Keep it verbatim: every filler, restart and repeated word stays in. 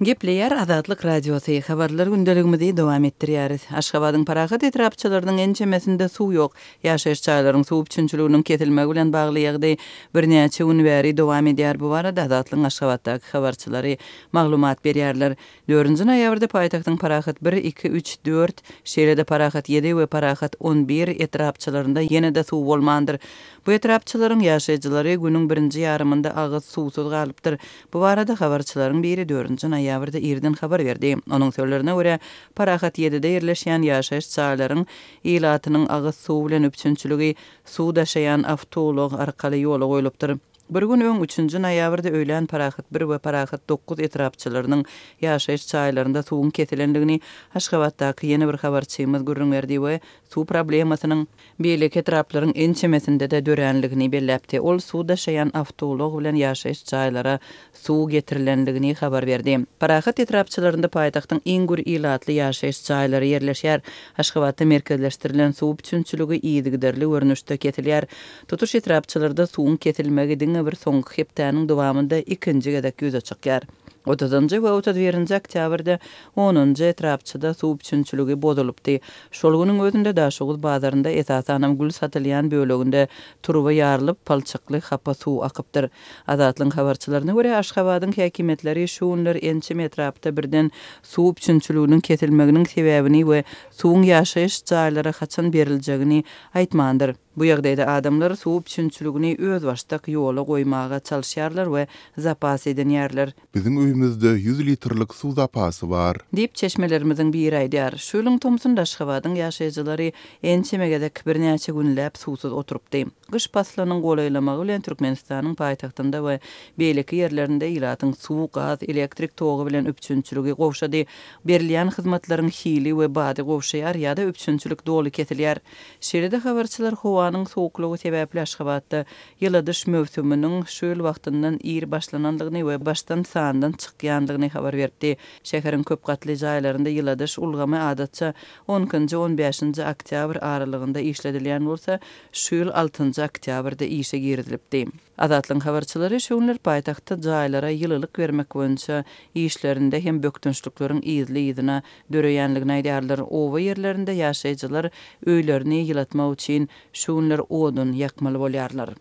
Gepleýär Azatlyk Radiosy, Habarlar gündeligimizi dowam etdirýäris. Aşgabadyň Parahat etrapçalarynyň ençemesinde suw ýok. Ýaşaýyş jaýlaryň suw üpjünçiliginiň kesilmegi bilen bagly ýagdaý birnäçe gün bäri dowam edýär. Bu barada Azatlygyň Aşgabatdaky habarçylary maglumat berýärler. Dördünji noýabrda paýtagtyň Parahat bir, iki, üç, dört, şeýle-de Parahat ýedi we Parahat on bir etrapçalarynda ýene-de suw bolmandyr. Bu etrapçalaryň ýaşaýjylary günüň birinji ýarymynda agyz suwsuz galypdyr. Bu barada habarçylaryň biri dördünji noýabrda irden habar berdi. Onuň sözlerine görä, Parahat ýedide ýerleşýän ýaşaýyş jaýlaryň ilatynyň agyz suwy bilen üpjünçiligi suw daşaýan awtoulag arkaly ýola goýlupdyr. Bir gün öň, üçünji noýabrda öýlän Parahat bir we Parahat dokuz etrapçalarynyň ýaşaýyş jaýlarynda suwuň kesilendigini Aşgabatdaky ýene bir habarçymyz gürrüň berdi we suw problemasynyň beýleki etraplaryň ençemesinde-de döränligini belläpdi. Ol suw daşaýan awtoulag bilen ýaşaýyş jaýlara suw getirilendigini habar berdi. Parahat etrapçalarynda paýtagtyň iň gür ilatly ýaşaýyş jaýlary ýerleşýär. Aşgabatda merkezleşdirilen suw üpjünçiligi yzygiderli görnüşde kesilýär. Tutuş etrapçalarda suwuň kesilmegi diňe bir soňky hepdäniň dowamynda ikinji gezek ýüze çykýar. Otuzynjy we otuz birinji oktýabrda onunjy etrapçada suw üpjünçiligi bozulypdy. Şol günüň özünde Daşoguz bazarynda, esasanam gül satylýan böleginde turba ýarylyp, palçykly hapa suw akypdyr. Azatlygyň habarçylaryna görä, Aşgabadyň häkimiýetleri şu günler ençeme etrapda birden suw üpjünçiliginiň kesilmeginiň sebäbini we suwuň ýaşaýyş jaýlara haçan beriljegini aýtmandyr. Bu ýagdaýda adamlar suw üpjünçiligini özbaşdak ýola goýmaga çalyşýarlar we zapas edinýärler. Biziň öýümizde ýüz litrlik suw zapasy bar. Diýip, çeşmelerimiziň biri aýdýar. Şu ýylyň tomsunda Aşgabadyň ýaşaýjylary ençeme gezek birnäçe günläp suwsuz oturypdy. Gyş paslynyň golaýlamagy bilen Türkmenistanyň paýtagtynda we beýleki ýerlerinde ilatyň suw, gaz, elektrik togy bilen üpjünçiligi gowşady. Berilýän hyzmatlaryň hili we bady gowşaýar ýa-da üpjünçilik doly kesilýär. Şeýle-de habarçylar howanyň sowuklygy sebäpli Aşgabatda ýyladyş möwsüminiň şu ýyl wagtyndan ir başlanandygyny we başdan sandan çykýandygyny habar beripdi. Şäheriň köp gatly jaýlarynda ýyladyş ulgamy adatça on ikinji, on bäşinji oktýabr aralygynda işledilýän bolsa, şu ýyl altynjy oktýabrda işe girizilipdi. Azatlygyň habarçylary şu günler paýtagtda jaýlara ýylylyk bermek boýunça işlerinde hem bökdençlikleriň yzly-yzyna döreýänligini aýdýarlar. Oba ýerlerinde ýaşaýjylar öýlerini ýylatmak üçin şu günler odun ýakmaly bolýarlar.